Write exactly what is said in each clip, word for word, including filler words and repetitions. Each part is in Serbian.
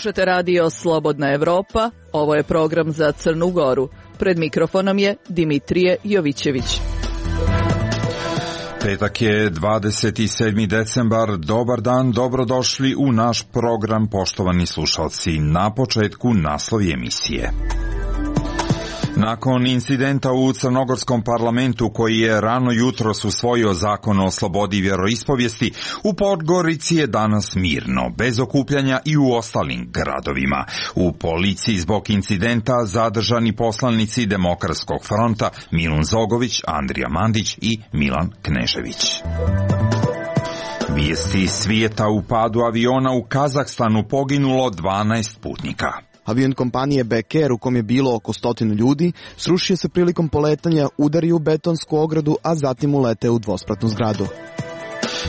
Slušate radio Slobodna Evropa, ovo je program za Crnu Goru. Pred mikrofonom je Dimitrije Jovićević. Petak je dvadeset sedmi decembar, dobar dan, dobrodošli u naš program, poštovani slušalci. Na početku naslovi emisije. Nakon incidenta u crnogorskom parlamentu koji je rano jutros usvojio zakon o slobodi vjeroispovijesti, u Podgorici je danas mirno, bez okupljanja i u ostalim gradovima. U policiji zbog incidenta zadržani poslanici Demokratskog fronta Milun Zogović, Andrija Mandić i Milan Knežević. Vijesti svijeta: u padu aviona u Kazahstanu poginulo dvanaest putnika. Avion kompanije Bek Air, u kom je bilo oko stotinu ljudi, srušio se prilikom poletanja, udario u betonsku ogradu, a zatim uleteo u dvospratnu zgradu.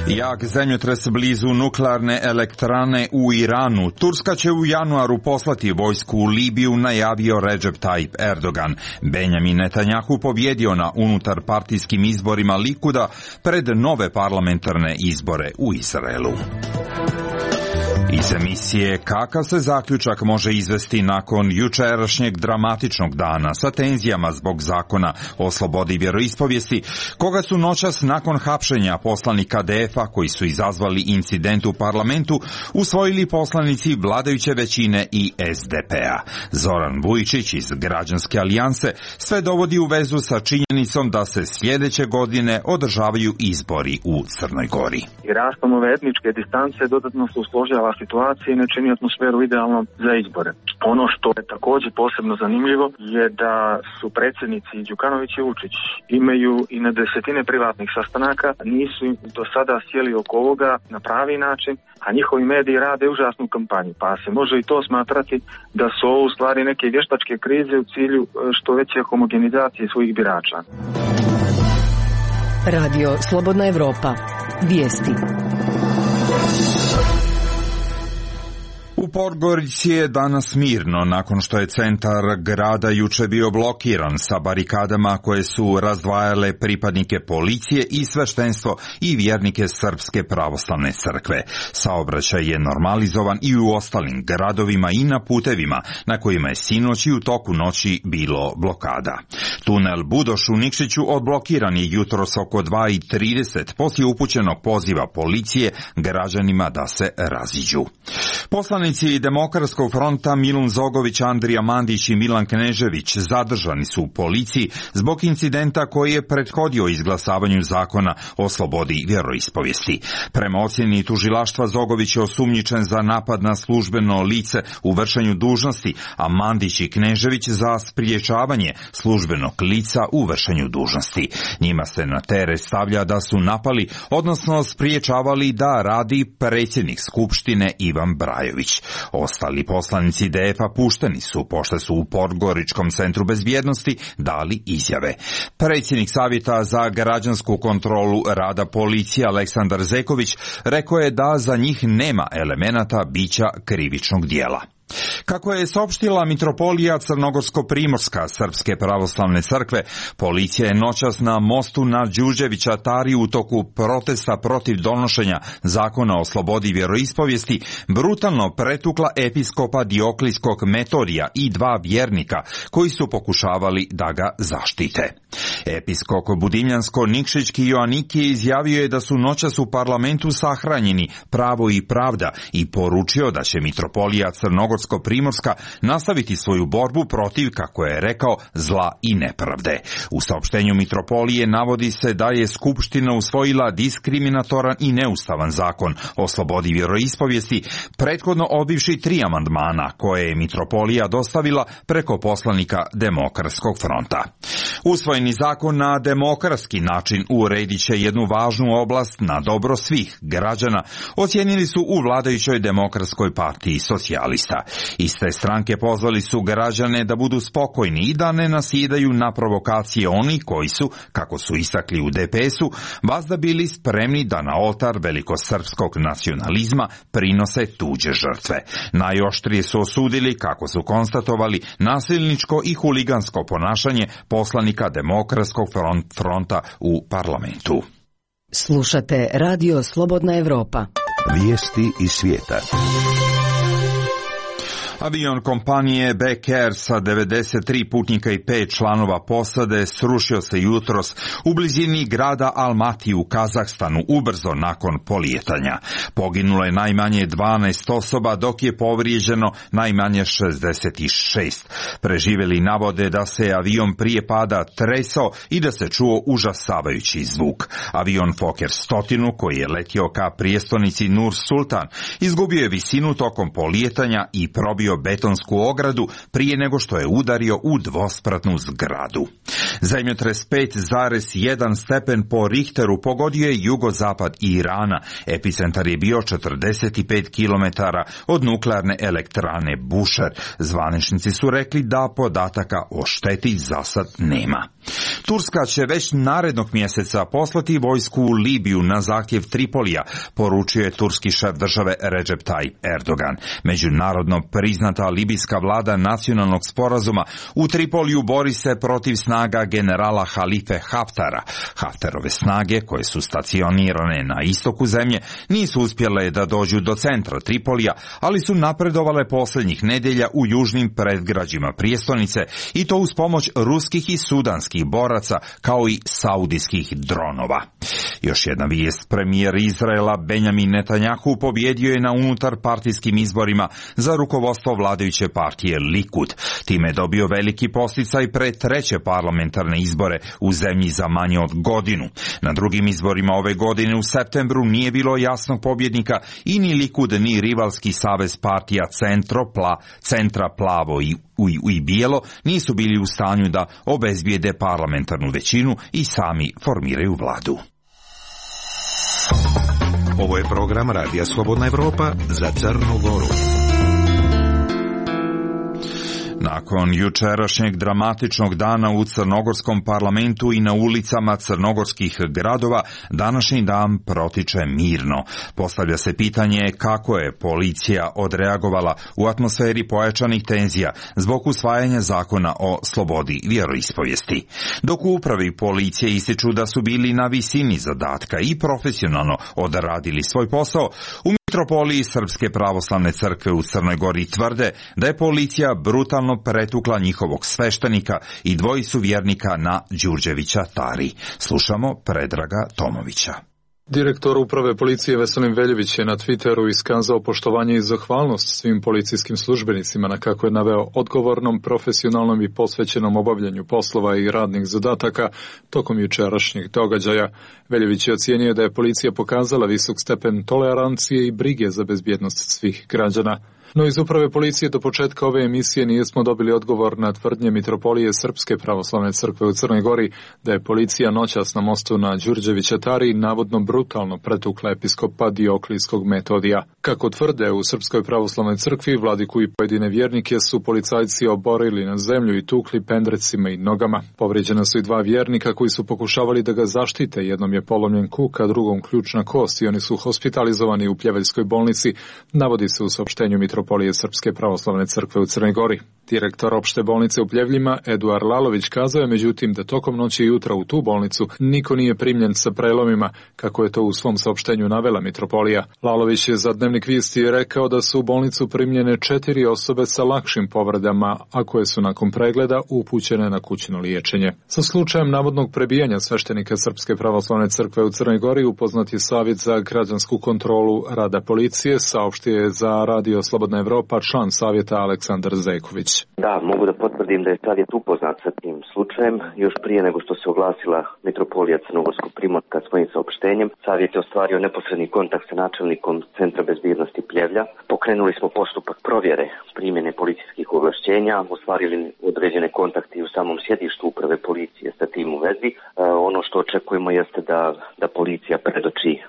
Jak zemljotres blizu nuklearne elektrane u Iranu. Turska će u januaru poslati vojsku u Libiju, najavio Recep Tayyip Erdogan. Benjamin Netanjahu pobjedio na unutarpartijskim izborima Likuda pred nove parlamentarne izbore u Izraelu. Iz emisije kakav se zaključak može izvesti nakon jučerašnjeg dramatičnog dana sa tenzijama zbog zakona o slobodi vjeroispovijesti, koga su noćas nakon hapšenja poslanika D F-a koji su izazvali incident u parlamentu usvojili poslanici vladajuće većine i S D P-a. Zoran Vujičić iz Građanske alijanse sve dovodi u vezu sa činjenicom da se sljedeće godine održavaju izbori u Crnoj Gori. I rastom ove etničke distance dodatno se usložava situacije i ne čini atmosferu idealnom za izbore. Ono što je također posebno zanimljivo je da su predsjednici Đukanović i Vučić imaju i na desetine privatnih sastanaka, nisu do sada sjeli oko ovoga na pravi način, a njihovi mediji rade užasnu kampanju, pa se može i to smatrati da su ovo u stvari neke vještačke krize u cilju što veće homogenizacije svojih birača. Radio Slobodna Evropa. Vijesti. U Podgorici je danas mirno nakon što je centar grada juče bio blokiran sa barikadama koje su razdvajale pripadnike policije i sveštenstvo i vjernike Srpske pravoslavne crkve. Saobraćaj je normalizovan i u ostalim gradovima i na putevima na kojima je sinoć i u toku noći bilo blokada. Tunel Budoš u Nikšiću odblokiran je jutros oko dva i trideset poslije upućenog poziva policije građanima da se raziđu. Poslanici Demokratskog fronta Milun Zogović, Andrija Mandić i Milan Knežević zadržani su u policiji zbog incidenta koji je prethodio izglasavanju zakona o slobodi vjeroispovijesti. Prema ocjeni tužilaštva, Zogović je osumnjičen za napad na službeno lice u vršenju dužnosti, a Mandić i Knežević za spriječavanje službenog lica u vršenju dužnosti. Njima se na teret stavlja da su napali, odnosno spriječavali da radi predsjednik Skupštine Ivan Brajović. Ostali poslanici D F-a pušteni su, pošto su u Podgoričkom centru bezbjednosti dali izjave. Predsjednik Savjeta za građansku kontrolu rada policije Aleksandar Zeković rekao je da za njih nema elemenata bića krivičnog dijela. Kako je saopštila mitropolija Crnogorsko-Primorska Srpske pravoslavne crkve, policija je noćas na mostu na Đurđevića Tari u toku protesta protiv donošenja zakona o slobodi vjeroispovijesti brutalno pretukla episkopa Dioklijskog Metodija i dva vjernika koji su pokušavali da ga zaštite. Episkop Budimljansko-Nikšićki Joaniki izjavio je da su noćas u parlamentu sahranjeni pravo i pravda i poručio da će mitropolija Crnogorsko-Primorska nastaviti svoju borbu protiv, kako je rekao, zla i nepravde. U saopštenju mitropolije navodi se da je Skupština usvojila diskriminatoran i neustavan zakon o slobodi vjeroispovijesti, prethodno odbivši tri amandmana koje je mitropolija dostavila preko poslanika Demokratskog fronta. Usvojeni zakon na demokratski način uredit će jednu važnu oblast na dobro svih građana, ocijenili su u vladajućoj Demokratskoj partiji socijalista. Iste stranke pozvali su građane da budu spokojni i da ne nasjedaju na provokacije oni koji su, kako su istakli u D P S-u, vazda bili spremni da na oltar velikosrpskog nacionalizma prinose tuđe žrtve. Najoštrije su osudili, kako su konstatovali, nasilničko i huligansko ponašanje poslanika Demokratskog fronta u parlamentu. Slušate Radio Slobodna Evropa. Vijesti iz svijeta. Avion kompanije Back Air sa devedeset tri putnika i pet članova posade srušio se jutros u blizini grada Almati u Kazahstanu ubrzo nakon polijetanja. Poginulo je najmanje dvanaest osoba, dok je povrijeđeno najmanje šezdeset šest. Preživjeli navode da se avion prije pada tresao i da se čuo užasavajući zvuk. Avion Fokker sto, koji je letio ka prijestolnici Nur Sultan, izgubio je visinu tokom polijetanja i probio betonsku ogradu prije nego što je udario u dvospratnu zgradu. Zemljotres pet zarez jedan stepen po Richteru pogodio je jugozapad Irana. Epicentar je bio četrdeset pet kilometara od nuklearne elektrane Bushehr. Zvaničnici su rekli da podataka o šteti za sad nema. Turska će već narednog mjeseca poslati vojsku u Libiju na zahtjev Tripolija, poručio je turski šef države Recep Tayyip Erdogan. Međunarodno priznata libijska vlada nacionalnog sporazuma u Tripoliju bori se protiv snaga generala Halife Haftara. Haftarove snage, koje su stacionirane na istoku zemlje, nisu uspjele da dođu do centra Tripolija, ali su napredovale posljednjih nedjelja u južnim predgrađima prijestolnice, i to uz pomoć ruskih i sudanskih boraca, kao i saudijskih dronova. Još jedna vijest: premijer Izraela Benjamin Netanjahu pobjedio je na unutar partijskim izborima za rukovodstvo vladajuće partije Likud. Time je dobio veliki posticaj pred treće parlamentarne izbore u zemlji za manje od godinu. Na drugim izborima ove godine u septembru nije bilo jasnog pobjednika i ni Likud ni rivalski savez partija Centro, Pla, Centra Plavo i U i bijelo nisu bili u stanju da obezbijede parlamentarnu većinu i sami formiraju vladu. Ovo je program Radija Slobodna Evropa za Crnu Goru. Nakon jučerašnjeg dramatičnog dana u crnogorskom parlamentu i na ulicama crnogorskih gradova, današnji dan protiče mirno. Postavlja se pitanje kako je policija odreagovala u atmosferi pojačanih tenzija zbog usvajanja zakona o slobodi vjeroispovijesti. Dok u upravi policije ističu da su bili na visini zadatka i profesionalno odradili svoj posao, u Mitropoliji Srpske pravoslavne crkve u Crnoj Gori tvrde da je policija brutalno pretukla njihovog sveštenika i dvojicu vjernika na Đurđevića Tari. Slušamo Predraga Tomovića. Direktor uprave policije Veselin Veljević je na Twitteru iskazao poštovanje i zahvalnost svim policijskim službenicima na, kako je naveo, odgovornom, profesionalnom i posvećenom obavljanju poslova i radnih zadataka tokom jučerašnjih događaja. Veljević je ocijenio da je policija pokazala visok stepen tolerancije i brige za bezbjednost svih građana. No iz uprave policije do početka ove emisije nismo dobili odgovor na tvrdnje Mitropolije Srpske pravoslavne crkve u Crnoj Gori da je policija noćas na mostu na Đurđevića Tari navodno brutalno pretukla episkopa Dioklijskog Metodija. Kako tvrde u Srpskoj pravoslavnoj crkvi, vladiku i pojedine vjernike su policajci oborili na zemlju i tukli pendrecima i nogama. Povrijeđena su i dva vjernika koji su pokušavali da ga zaštite. Jednom je polomljen kuk, a drugom ključna kost i oni su hospitalizovani u Pljeveljskoj bolnici, navodi se u saopštenju Mitropolije Srpske pravoslavne crkve u Crnoj Gori. Direktor opšte bolnice u Pljevljima, Eduard Lalović, kazao je međutim da tokom noći i jutra u tu bolnicu niko nije primljen sa prelomima, kako je to u svom saopštenju navela Mitropolija. Lalović je za Dnevnik Vijesti rekao da su u bolnicu primljene četiri osobe sa lakšim povredama, a koje su nakon pregleda upućene na kućno liječenje. Sa slučajem navodnog prebijanja sveštenika Srpske pravoslavne crkve u Crnoj Gori upoznat je Savjet za građansku kontrolu rada policije, saopštio je za Radio Slobodna Evropa član savjeta Aleksandar Zajković. Da, mogu da potvrdim da je savjet upoznat sa tim slučajem. Još prije nego što se oglasila Mitropolija Crnogorskog Primorka svojim saopštenjem, savjet je ostvario neposredni kontakt sa načelnikom Centra bezbjednosti Pljevlja. Pokrenuli smo postupak provjere primjene policijskih ovlašćenja, ostvarili određene kontakte i u samom sjedištu uprave policije sa tim u vezi. E, ono što očekujemo jeste da, da policija predoči e,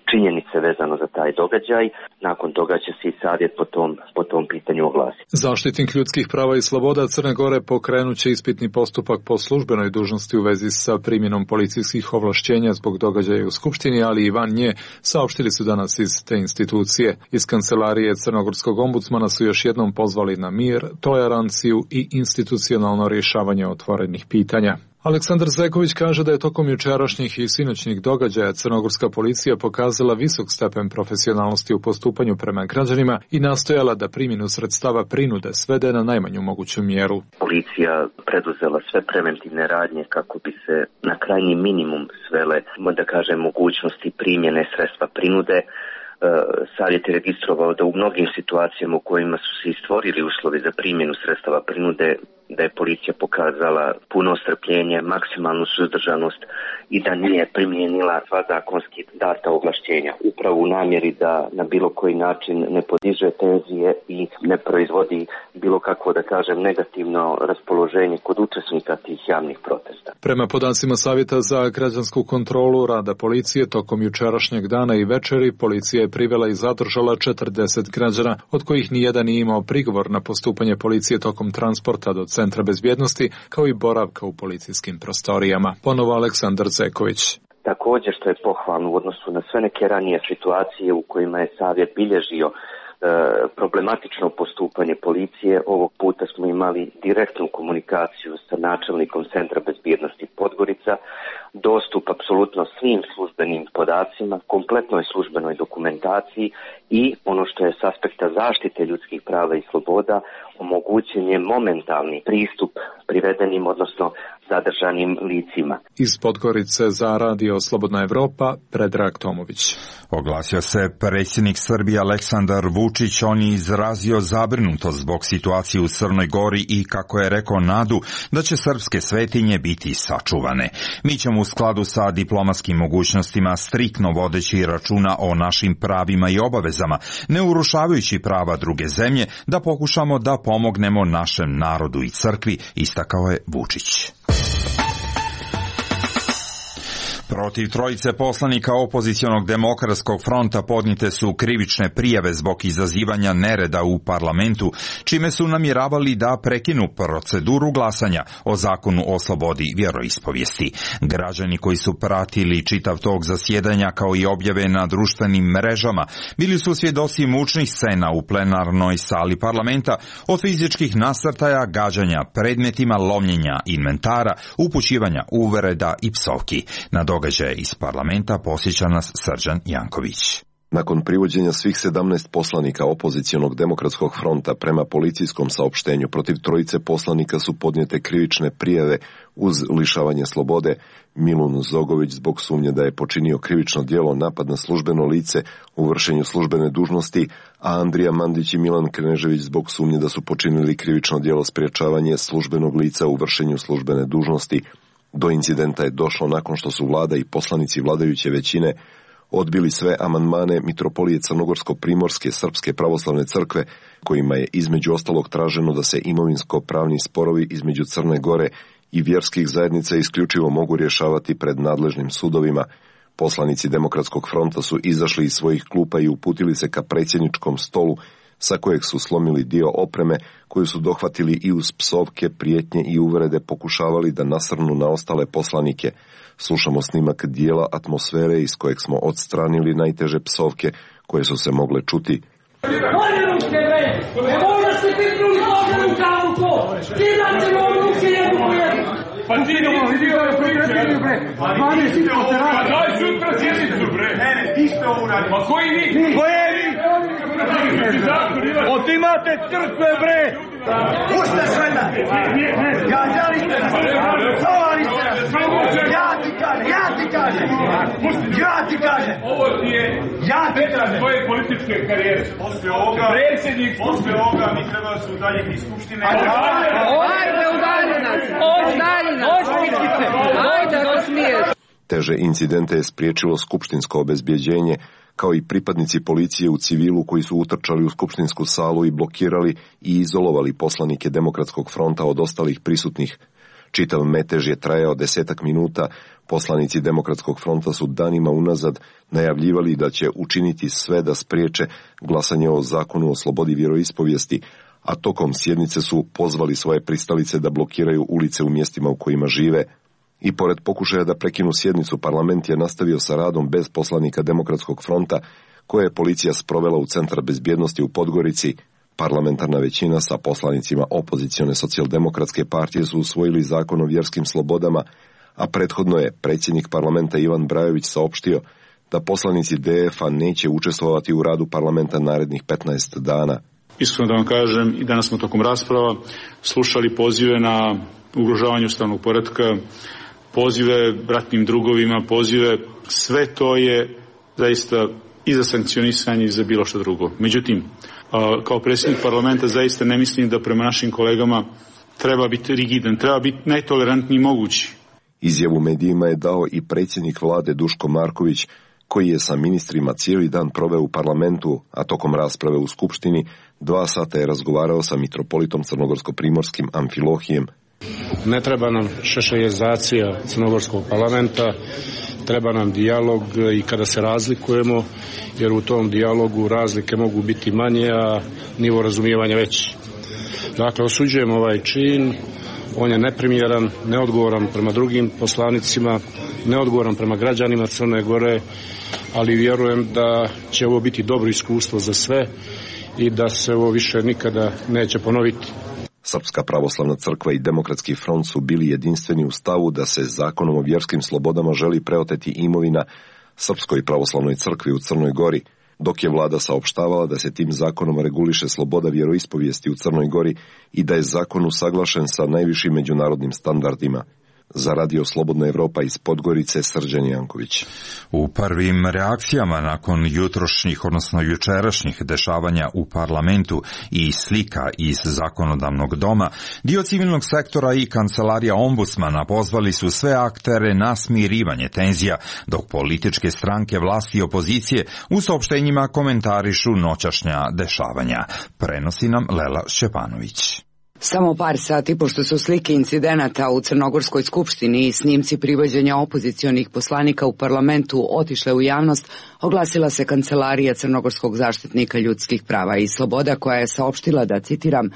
činjenice vezano za taj događaj. Nakon toga će se i savjet po tom, po tom pitanju oglasiti. Zaštitnik ljudskih prava i sloboda Crne Gore pokrenut će ispitni postupak po službenoj dužnosti u vezi sa primjenom policijskih ovlašćenja zbog događaja u Skupštini, ali i van nje, saopštili su danas iz te institucije. Iz kancelarije Crnogorskog ombudsmana su još jednom pozvali na mir, toleranciju i institucionalno rješavanje otvorenih pitanja. Aleksandar Zeković kaže da je tokom jučerašnjih i sinoćnih događaja crnogorska policija pokazala visok stepen profesionalnosti u postupanju prema građanima i nastojala da primjenu sredstava prinude svede na najmanju moguću mjeru. Policija preduzela sve preventivne radnje kako bi se na krajnji minimum svele, da kažem, mogućnosti primjene sredstva prinude. Savjet je registrovao da u mnogim situacijama u kojima su se stvorili uslovi za primjenu sredstava prinude, da je policija pokazala puno strpljenje, maksimalnu suzdržanost i da nije primijenila sva zakonski data ovlašćenja. Upravo u namjeri da na bilo koji način ne podiže tenzije i ne proizvodi bilo kakvo, da kažem, negativno raspoloženje kod učesnika tih javnih protesta. Prema podacima Savjeta za građansku kontrolu rada policije, tokom jučerašnjeg dana i večeri policija je privela i zadržala četrdeset građana, od kojih nijedan nije imao prigovor na postupanje policije tokom transporta do Centra bezbjednosti, kao i boravka u policijskim prostorijama. Ponovo Aleksandar Zeković. Također, što je pohvalno u odnosu na sve neke ranije situacije u kojima je Savjet bilježio problematično postupanje policije, ovog puta smo imali direktnu komunikaciju sa načelnikom Centra bezbjednosti Podgorica, dostup apsolutno svim službenim podacima, kompletnoj službenoj dokumentaciji i ono što je s aspekta zaštite ljudskih prava i sloboda, omogućen je momentalni pristup privedenim, odnosno zadržanim licima. Iz Podgorice za Radio Slobodna Evropa, Predrag Tomović. Oglasio se predsjednik Srbije Aleksandar Vučić. On je izrazio zabrinutost zbog situacije u Crnoj Gori i, kako je rekao, nadu da će srpske svetinje biti sačuvane. Mi ćemo u skladu sa diplomatskim mogućnostima, striktno vodeći računa o našim pravima i obavezama, ne urušavajući prava druge zemlje, da pokušamo da pomognemo našem narodu i crkvi, istakao je Vučić. Protiv trojice poslanika opozicionog demokratskog fronta podnijete su krivične prijave zbog izazivanja nereda u parlamentu, čime su namjeravali da prekinu proceduru glasanja o zakonu o slobodi vjeroispovijesti. Građani koji su pratili čitav tog zasjedanja, kao i objave na društvenim mrežama, bili su svjedoci mučnih scena u plenarnoj sali parlamenta, od fizičkih nasrtaja, gađanja predmetima, lomljenja inventara, upućivanja uvreda i psovki. Na događaje iz parlamenta posjeća nas Srđan Janković. Nakon privođenja svih sedamnaest poslanika opozicionog demokratskog fronta, prema policijskom saopštenju protiv trojice poslanika su podnijete krivične prijave uz lišavanje slobode: Milun Zogović zbog sumnje da je počinio krivično djelo napad na službeno lice u vršenju službene dužnosti, a Andrija Mandić i Milan Knežević zbog sumnje da su počinili krivično djelo sprječavanje službenog lica u vršenju službene dužnosti. Do incidenta je došlo nakon što su vlada i poslanici vladajuće većine odbili sve amandmane Mitropolije Crnogorsko-Primorske Srpske pravoslavne crkve, kojima je između ostalog traženo da se imovinsko-pravni sporovi između Crne Gore i vjerskih zajednica isključivo mogu rješavati pred nadležnim sudovima. Poslanici Demokratskog fronta su izašli iz svojih klupa i uputili se ka predsjedničkom stolu, sa kojeg su slomili dio opreme koju su dohvatili i uz psovke, prijetnje i uvrede pokušavali da nasrnu na ostale poslanike. Slušamo snimak dijela atmosfere iz kojeg smo odstranili najteže psovke koje su se mogle čuti. Pa ti ne vidi ove priče, bre. dvanaest hipoterapija. Pa daj sutra sjednicu, bre. Ne, ne, ti ste ovo uradili. Pa koji vi? Koje vi? Otimate crkve, bre. Pušte sveda. Gađali ste nas. Čovali ste nas. Ja ti kažem, ja ti kažem. Ja ti kažem. Ovo ti je ja ti kažem. Tvoje političke karijere. Posle ovoga, predsjednik, posle ovoga mi treba da se udaljiti iz skupštine. Ajde, udalji nas. Udalji nas. Ajde, ako smiješ. Teže incidente je spriječilo skupštinsko obezbjeđenje, kao i pripadnici policije u civilu koji su utrčali u skupštinsku salu i blokirali i izolovali poslanike Demokratskog fronta od ostalih prisutnih. Čitav metež je trajao desetak minuta. Poslanici Demokratskog fronta su danima unazad najavljivali da će učiniti sve da spriječe glasanje o zakonu o slobodi vjeroispovijesti, a tokom sjednice su pozvali svoje pristalice da blokiraju ulice u mjestima u kojima žive. I pored pokušaja da prekinu sjednicu, parlament je nastavio sa radom bez poslanika Demokratskog fronta, koje je policija sprovela u Centar bezbjednosti u Podgorici. Parlamentarna većina sa poslanicima opozicione socijaldemokratske partije su usvojili zakon o vjerskim slobodama, a prethodno je predsjednik parlamenta Ivan Brajović saopštio da poslanici D F a neće učestvovati u radu parlamenta narednih petnaest dana. Iskreno da vam kažem, i danas smo tokom rasprava slušali pozive na ugrožavanje ustavnog poretka, pozive ratnim drugovima, pozive, sve to je zaista i za sankcionisanje i za bilo što drugo. Međutim, kao predsjednik parlamenta zaista ne mislim da prema našim kolegama treba biti rigidan, treba biti najtolerantniji mogući. Izjavu medijima je dao i predsjednik vlade Duško Marković, koji je sa ministrima cijeli dan proveo u parlamentu, a tokom rasprave u Skupštini dva sata je razgovarao sa mitropolitom crnogorsko-primorskim Amfilohijem. Ne treba nam šešeljizacija crnogorskog parlamenta, treba nam dijalog i kada se razlikujemo, jer u tom dijalogu razlike mogu biti manje, a nivo razumijevanja veći. Dakle, osuđujemo ovaj čin, on je neprimjeran, neodgovoran prema drugim poslanicima, neodgovoran prema građanima Crne Gore, ali vjerujem da će ovo biti dobro iskustvo za sve i da se ovo više nikada neće ponoviti. Srpska pravoslavna crkva i Demokratski front su bili jedinstveni u stavu da se zakonom o vjerskim slobodama želi preoteti imovina Srpskoj pravoslavnoj crkvi u Crnoj Gori, dok je vlada saopštavala da se tim zakonom reguliše sloboda vjeroispovijesti u Crnoj Gori i da je zakon usaglašen sa najvišim međunarodnim standardima. Za Radio Slobodna Evropa iz Podgorice, Srđan Janković. U prvim reakcijama nakon jutrošnjih, odnosno jučerašnjih dešavanja u parlamentu i slika iz zakonodavnog doma, dio civilnog sektora i kancelarija ombudsmana pozvali su sve aktere na smirivanje tenzija, dok političke stranke vlasti i opozicije u saopštenjima komentarišu noćašnja dešavanja. Prenosi nam Lela Šćepanović. Samo par sati pošto su slike incidenata u Crnogorskoj skupštini i snimci privođenja opozicionih poslanika u parlamentu otišle u javnost, oglasila se kancelarija Crnogorskog zaštitnika ljudskih prava i sloboda, koja je saopštila da, citiram,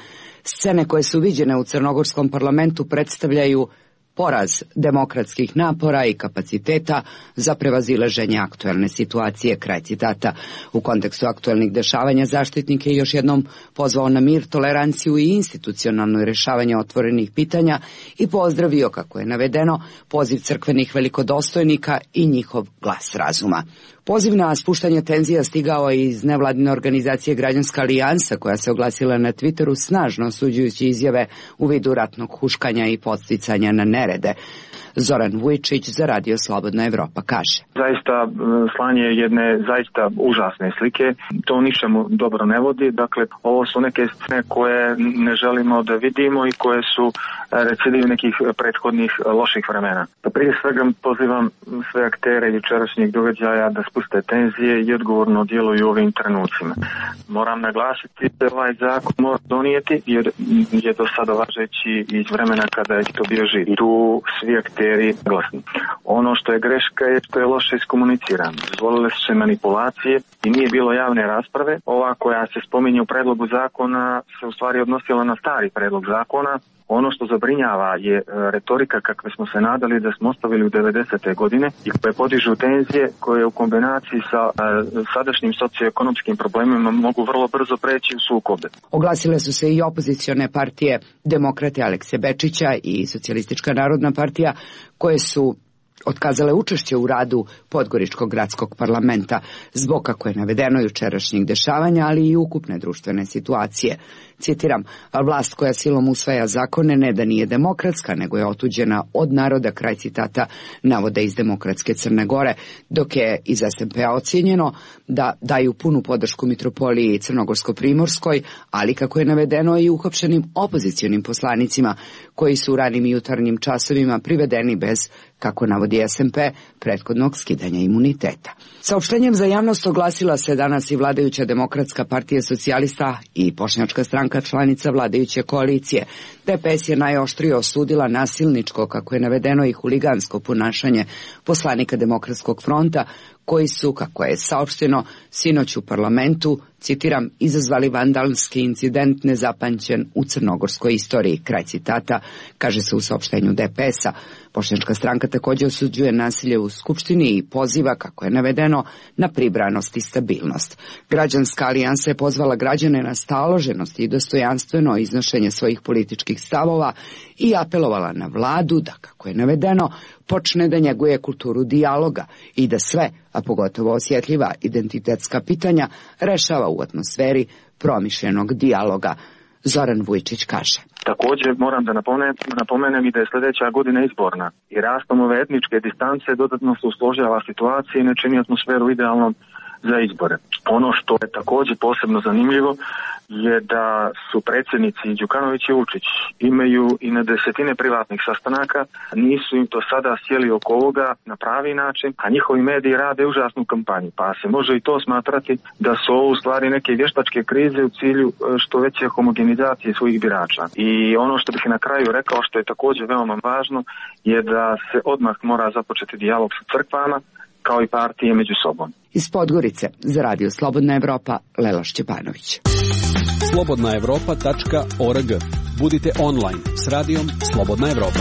scene koje su viđene u Crnogorskom parlamentu predstavljaju poraz demokratskih napora i kapaciteta za prevazilaženje aktuelne situacije, kraj citata. U kontekstu aktuelnih dešavanja zaštitnik je još jednom pozvao na mir, toleranciju i institucionalno rješavanje otvorenih pitanja i pozdravio, kako je navedeno, poziv crkvenih velikodostojnika i njihov glas razuma. Poziv na spuštanje tenzija stigao je iz nevladine organizacije Građanska alijansa, koja se oglasila na Twitteru snažno osuđujući izjave u vidu ratnog huškanja i podsticanja na nerede. Zoran Vujčić za Radio Slobodna Evropa kaže: Zaista slanje jedne zaista užasne slike, to ničemu dobro ne vodi. Dakle, ovo su neke scene koje ne želimo da vidimo i koje su recidiv nekih prethodnih loših vremena. Prije svega pozivam sve aktere jučerašnjeg događaja da spuste tenzije i odgovorno djeluju u ovim trenucima. Moram naglasiti da ovaj zakon mora donijeti, jer je do sada važeći iz vremena kada je to bio živ. Tu svi akteri glasni. Ono što je greška je što je loše iskomunicirano. Dozvolile su se manipulacije i nije bilo javne rasprave. Ova koja se spominje u predlogu zakona se u stvari odnosila na stari predlog zakona. Ono što zabrinjava je retorika kakve smo se nadali da smo ostavili u devedesete godine i koje podižu tenzije koje u kombinaciji sa sadašnjim socioekonomskim problemima mogu vrlo brzo preći u sukobe. Oglasile su se i opozicione partije Demokrate Alekse Bečića i Socijalistička narodna partija, koje su otkazale učešće u radu Podgoričkog gradskog parlamenta zbog, kako je navedeno, jučerašnjih dešavanja, ali i ukupne društvene situacije. Citiram, vlast koja silom usvaja zakone ne da nije demokratska, nego je otuđena od naroda, kraj citata, navode iz Demokratske Crne Gore, dok je iz es en pe-a ocijenjeno da daju punu podršku mitropoliji Crnogorsko-primorskoj, ali, kako je navedeno, i uhapšenim opozicionim poslanicima koji su u ranim jutarnjim časovima privedeni bez, kako navodi es en pe, prethodnog skidanja imuniteta. Saopštenjem za javnost oglasila se danas i vladajuća Demokratska partija socijalista i Bošnjačka stranka, članica vladajuće koalicije. de pe es je najoštrije osudila nasilničko, kako je navedeno, i huligansko ponašanje poslanika Demokratskog fronta, koji su, kako je saopšteno, sinoć u parlamentu, citiram, izazvali vandalski incident nezapamćen u crnogorskoj istoriji, kraj citata, kaže se u saopštenju D P S-a. Bošnjačka stranka također osuđuje nasilje u Skupštini i poziva, kako je navedeno, na pribranost i stabilnost. Građanska alijansa je pozvala građane na staloženost i dostojanstveno iznošenje svojih političkih stavova i apelovala na vladu da, kako je navedeno, počne da njeguje kulturu dijaloga i da sve, a pogotovo osjetljiva identitetska pitanja, rešava u atmosferi promišljenog dijaloga. Zoran Vujčić kaže. Također moram da napomenem, napomenem i da je sljedeća godina izborna i rastom ove etničke distance dodatno se usložava situacija i ne čini atmosferu idealnom za izbore. Ono što je također posebno zanimljivo je da su predsjednici Đukanović i Vučić imaju i na desetine privatnih sastanaka, nisu im to sada sjeli oko ovoga na pravi način, a njihovi mediji rade užasnu kampanju, pa se može i to smatrati da su ovo u stvari neke vještačke krize u cilju što veće homogenizacije svojih birača. I ono što bih na kraju rekao, što je također veoma važno, je da se odmah mora započeti dijalog sa crkvama, kao i partije među sobom. Iz Podgorice za Radio Slobodna Evropa, Lela Šćepanović. slobodna evropa tačka org. Budite online s radijom Slobodna Evropa.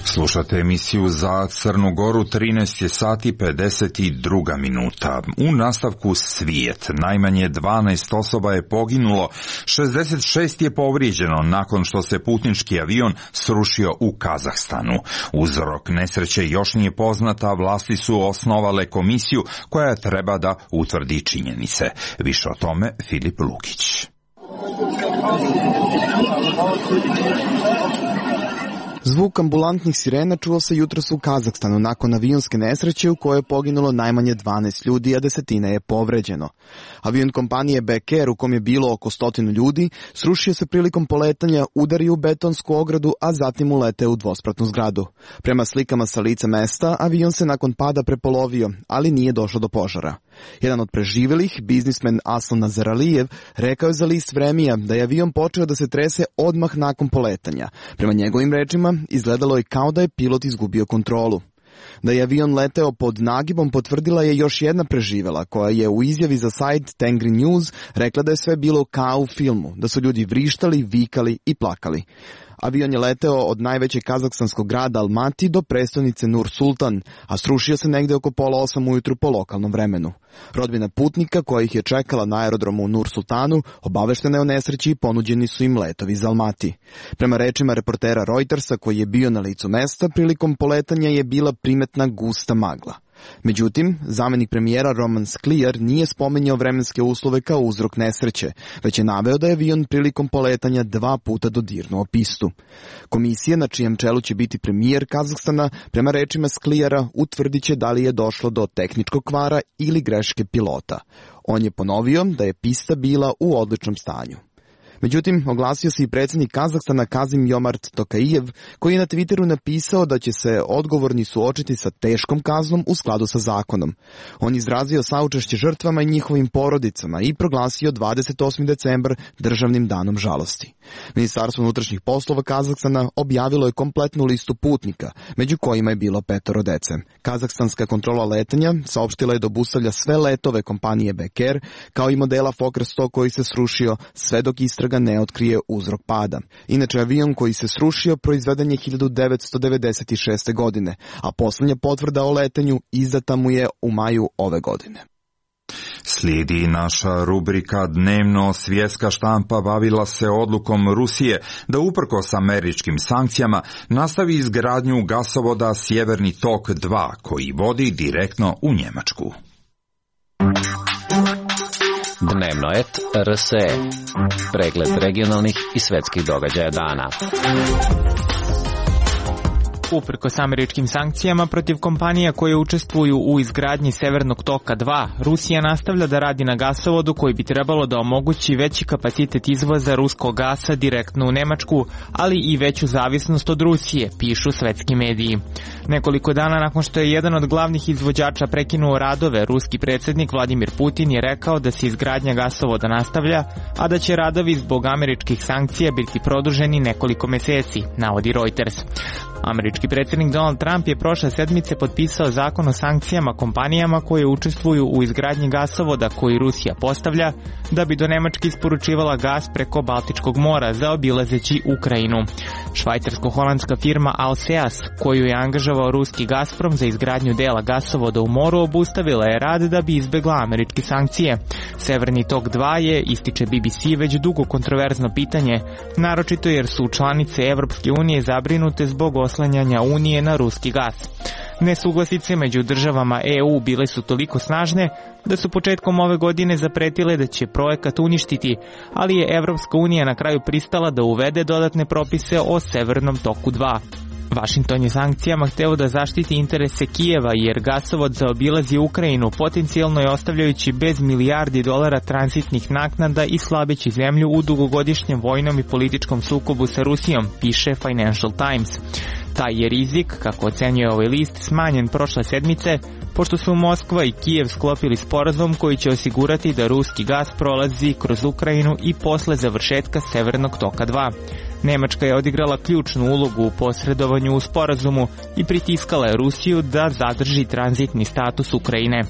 Slušate emisiju za Crnu Goru, trinaest je sati pedeset dva minuta. U nastavku Svijet. Najmanje dvanaest osoba je poginulo, šezdeset šest je povrijeđeno nakon što se putnički avion srušio u Kazahstanu. Uzrok nesreće još nije poznata, vlasti su osnovale komisiju koja treba da utvrdi činjenice. Više o tome Filip Lukić. Zvuk ambulantnih sirena čuo se jutros u Kazahstanu nakon avionske nesreće u kojoj je poginulo najmanje dvanaest ljudi, a desetine je povređeno. Avion kompanije Bek Air, u kom je bilo oko stotinu ljudi, srušio se prilikom poletanja, udario u betonsku ogradu, a zatim uleteo u dvospratnu zgradu. Prema slikama sa lica mesta, avion se nakon pada prepolovio, ali nije došlo do požara. Jedan od preživjelih, biznismen Aslan Nazaralijev, rekao je za list Vremija da je avion počeo da se trese odmah nakon poletanja. Prema njegovim rečima, izgledalo je kao da je pilot izgubio kontrolu. Da je avion leteo pod nagibom potvrdila je još jedna preživjela, koja je u izjavi za sajt Tengri News rekla da je sve bilo kao u filmu, da su ljudi vrištali, vikali i plakali. Avion je leteo od najvećeg kazahstanskog grada Almati do prestonice Nur Sultan, a srušio se negde oko pola osam ujutru po lokalnom vremenu. Rodbina putnika koja ih je čekala na aerodromu u Nur Sultanu obaveštena je o nesreći i ponuđeni su im letovi iz Almati. Prema rečima reportera Reutersa koji je bio na licu mesta, prilikom poletanja je bila primetna gusta magla. Međutim, zamenik premijera Roman Skliar nije spominjao vremenske uslove kao uzrok nesreće, već je naveo da je avion prilikom poletanja dva puta dodirnuo pistu. Komisija, na čijem čelu će biti premijer Kazahstana, prema rečima Sklijara utvrdit će da li je došlo do tehničkog kvara ili greške pilota. On je ponovio da je pista bila u odličnom stanju. Međutim, oglasio se i predsjednik Kazahstana Kazim Jomart Tokajev, koji je na Twitteru napisao da će se odgovorni suočiti sa teškom kaznom u skladu sa zakonom. On izrazio saučešće žrtvama i njihovim porodicama i proglasio dvadeset osmi decembar državnim danom žalosti. Ministarstvo unutrašnjih poslova Kazahstana objavilo je kompletnu listu putnika, među kojima je bilo petoro dece. Kazahstanska kontrola letanja saopštila je da obustavlja sve letove kompanije Bek Air, kao i modela Fokker sto koji se srušio, sve dok istraga ne otkrije uzrok pada. Inače, avion koji se srušio proizveden je hiljadu devetsto devedeset šeste. godine, a posljednja potvrda o letanju izdata mu je u maju ove godine. Slijedi naša rubrika Dnevno. Svjetska štampa bavila se odlukom Rusije da uprkos američkim sankcijama nastavi izgradnju gasovoda Sjeverni tok dva koji vodi direktno u Njemačku. Dnevno et R S E. Pregled regionalnih i svetskih događaja dana. Uprkos američkim sankcijama protiv kompanija koje učestvuju u izgradnji Severnog toka dva, Rusija nastavlja da radi na gasovodu koji bi trebalo da omogući veći kapacitet izvoza ruskog gasa direktno u Nemačku, ali i veću zavisnost od Rusije, pišu svetski mediji. Nekoliko dana nakon što je jedan od glavnih izvođača prekinuo radove, ruski predsjednik Vladimir Putin je rekao da se izgradnja gasovoda nastavlja, a da će radovi zbog američkih sankcija biti produženi nekoliko meseci, navodi Reuters. Američki predsjednik Donald Trump je prošle sedmice potpisao zakon o sankcijama kompanijama koje učestvuju u izgradnji gasovoda koji Rusija postavlja da bi do Nemačke isporučivala gas preko Baltičkog mora zaobilazeći Ukrajinu. Švajcarsko-holandska firma Alseas, koju je angažovao ruski Gazprom za izgradnju dela gasovoda u moru, obustavila je rad da bi izbegla američke sankcije. Severni tok dva je, ističe B B C, već dugo kontroverzno pitanje, naročito jer su članice Evropske unije zabrinute zbog oslanjanja Unije na ruski gas. Nesuglasice među državama E U bile su toliko snažne da su početkom ove godine zapretile da će projekat uništiti, ali je Evropska unija na kraju pristala da uvede dodatne propise o Severnom toku dva. Vašington je sankcijama hteo da zaštiti interese Kijeva jer gasovod zaobilazi Ukrajinu, potencijalno je ostavljajući bez milijardi dolara tranzitnih naknada i slabeći zemlju u dugogodišnjem vojnom i političkom sukobu sa Rusijom, piše Financial Times. Taj je rizik, kako ocenjuje ovaj list, smanjen prošle sedmice, pošto su Moskva i Kijev sklopili sporazum koji će osigurati da ruski gas prolazi kroz Ukrajinu i posle završetka Severnog toka dva. Nemačka je odigrala ključnu ulogu u posredovanju u sporazumu i pritiskala je Rusiju da zadrži tranzitni status Ukrajine.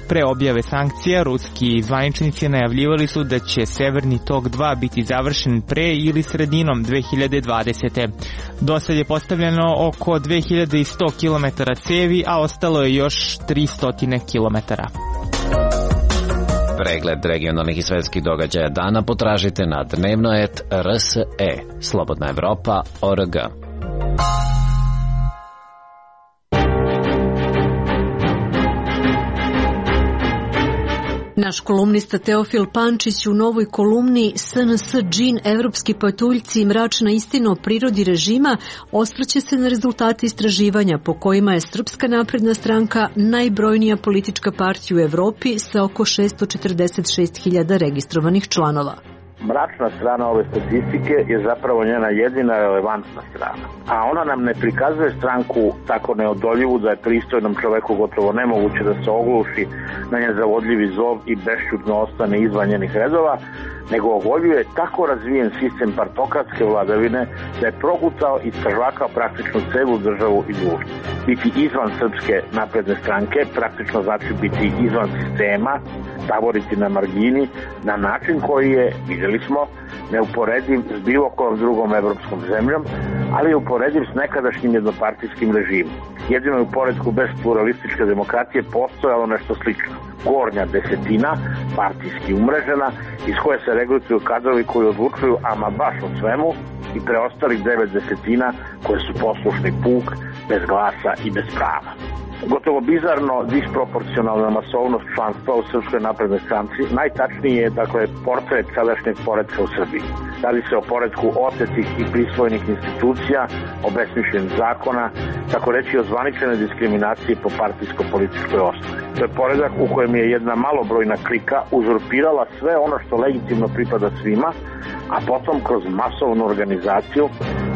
Pre objave sankcija, ruski zvaničnici najavljivali su da će Severni tok dva biti završen pre ili sredinom dve hiljade dvadesete. Do sad je postavljeno oko dve hiljade sto kilometara cevi, a ostalo je još tristo kilometara. Pregled regionalnih i svetskih događaja dana potražite na dnevno et R S E, Slobodna Evropa, O R G. Naš kolumnista Teofil Pančić u novoj kolumni S N S džin, evropski patuljci i mračna istina o prirodi režima osvrće se na rezultate istraživanja po kojima je Srpska napredna stranka najbrojnija politička partija u Evropi sa oko šesto četrdeset šest hiljada registrovanih članova. Mračna strana ove statistike je zapravo njena jedina relevantna strana. A ona nam ne prikazuje stranku tako neodoljivu da je pristojnom čoveku gotovo nemoguće da se ogluši na njen zavodljivi zov i bešćutno ostane izvan njenih redova, nego ogoljuje tako razvijen sistem partokratske vladavine da je progutao i strvakao praktično celu državu i društvo. Biti izvan Srpske napredne stranke praktično znači biti izvan sistema, taboriti na margini, na način koji je, vidjeli smo, neuporediv s bilo kojom drugom evropskom zemljom, ali je uporediv s nekadašnjim jednopartijskim režimom. Jedino je u poredku bez pluralističke demokratije postojalo nešto slično. Gornja desetina, partijski umrežena, iz koje se regrutuju kadrovi koji odlučuju ama baš o svemu, i preostalih devet desetina koje su poslušni puk, bez glasa i bez prava. Gotovo bizarno disproporcionalna masovnost članstva u Srpskoj naprednoj stranci najtačniji je, dakle, portret sadašnjeg poretka u Srbiji. Radi se o poretku otetih i prisvojenih institucija, obesmišljenih zakona, tako reći o zvaničenoj diskriminaciji po partijsko-političkoj osnovi. To je poredak u kojem je jedna malobrojna klika uzurpirala sve ono što legitimno pripada svima, a potom kroz masovnu organizaciju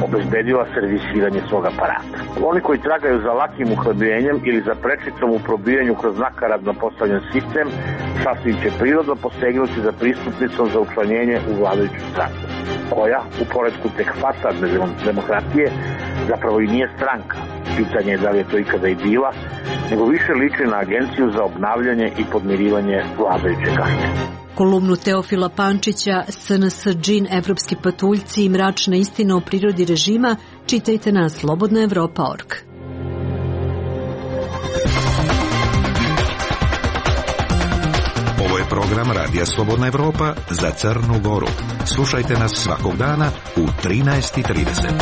obezbedila servisiranje svog aparata. Oni koji tragaju za lakim uhlebljenjem ili za prečicom u probijanju kroz nakaradno postavljen sistem, sasvim će prirodno posegnuti za pristupnicom za učlanjenje u vladajuću stranku, koja, u poredku tehfata demokratije, zapravo i nije stranka. Pitanje je da li je to ikada i bila, nego više liči na agenciju za obnavljanje i podmirivanje vladajuće kaste. Kolumnu Teofila Pančića S N S džin, evropski patuljci i mračna istina o prirodi režima čitajte na slobodna evropa tačka org. Ovo je program Radija Slobodna Evropa za Crnu Goru. Slušajte nas svakog dana u trinaest i trideset.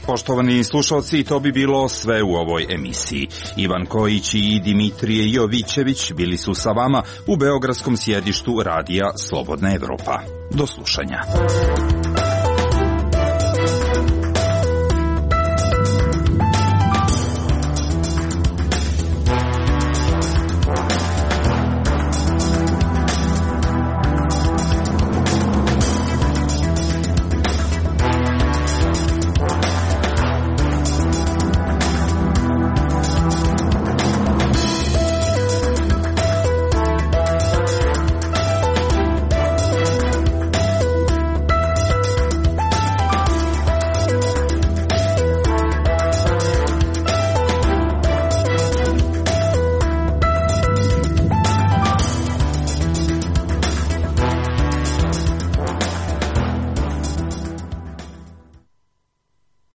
Poštovani slušalci, to bi bilo sve u ovoj emisiji. Ivan Kojić i Dimitrije Jovićević bili su sa vama u beogradskom sjedištu Radija Slobodna Evropa. Do slušanja.